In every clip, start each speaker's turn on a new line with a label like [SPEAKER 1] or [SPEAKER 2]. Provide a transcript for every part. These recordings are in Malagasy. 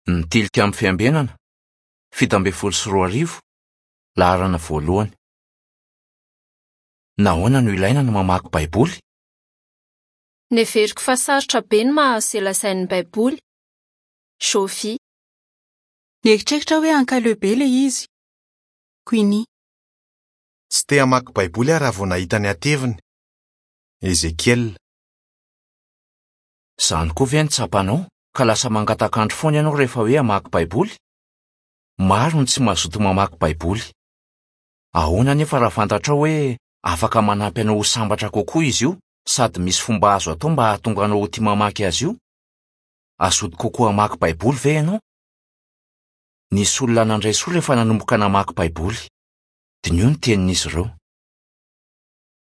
[SPEAKER 1] Ny Tilikambo Fiambenana, 2017, laharana voalohany. Nahoana no ilaina ny mamaky Baiboly?
[SPEAKER 2] Neveriko fa sarotra be ny mahazo izay lazain'ny Baiboly. Jovy.
[SPEAKER 3] Nieritreritra aho hoe ankaleo be ilay izy. Queenie.
[SPEAKER 4] Tsy te hamaky Baiboly aho raha vao nahita ny hateviny. Ezekiel.
[SPEAKER 1] Izany koa ve no tsapanao, ka lasa mangatak'andro foana ianao rehefa hoe hamaky Baiboly? Maro ny tsy mazoto mamaky Baiboly. Ahoana anefa raha fantatrao hoe afaka manampy anao ho sambatra kokoa izy io, sady misy fomba azo atao mba hahatonga anao ho tia mamaky azy io? Hazoto kokoa hamaky Baiboly ve ianao? Nisy olona nandray soa rehefa nanomboka namaky Baiboly. Diniho ny tenin'izy ireo.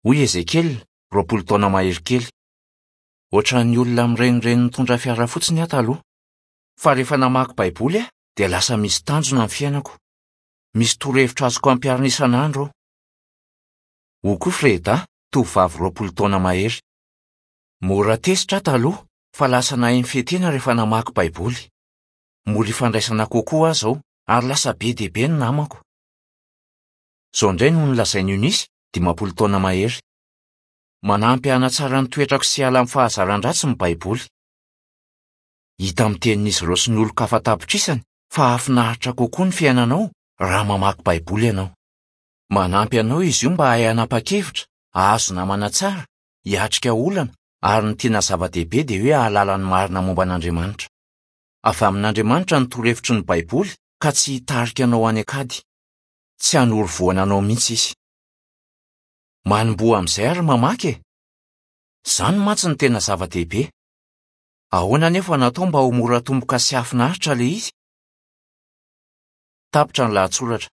[SPEAKER 1] Hoy i Ezekiel, 20 taona mahery kely, Hoatran'ny olona mirenireny mitondra fiara fotsiny aho taloha. Fa rehefa namaky Baiboly aho, dia lasa misy tanjona ny fiainako. Misy torohevitra azoko ampiharina isan'andro ao. Hoy koa Freda, tovovavy 20 taona mahery, Mora tezitra aho taloha, fa lasa nahay nifehy tena rehefa namaky Baiboly. Mora ifandraisana kokoa aho izao, ary lasa be dia be ny namako. Izao indray no nolazain'i Eunice, 50 taona mahery, Manampy hanatsara ny toetrako sy hiala amin'ny fahazaran-dratsy ny Baiboly. Hita amin'ny tenin'izy ireo sy ny olon-kafa an-tapitrisany fa hahafinaritra kokoa ny fiainanao raha mamaky Baiboly ianao. Manampy anao izy io mba hahay hanapa-kevitra, hahazo namana tsara, hiatrika olana, ary ny tena zava-dehibe dia hoe hahalala ny marina momba an'Andriamanitra. Avy amin'Andriamanitra ny torohevitry ny Baiboly ka tsy hitarika anao any an-kady. Tsy hanoro voana anao mihitsy izy. Manomboha amin'izay ary mamaky e! Izany mantsy no tena zava-dehibe. Ahoana anefa no atao mba ho mora tomboka sy hahafinaritra ilay izy? Tapitra ny lahatsoratra.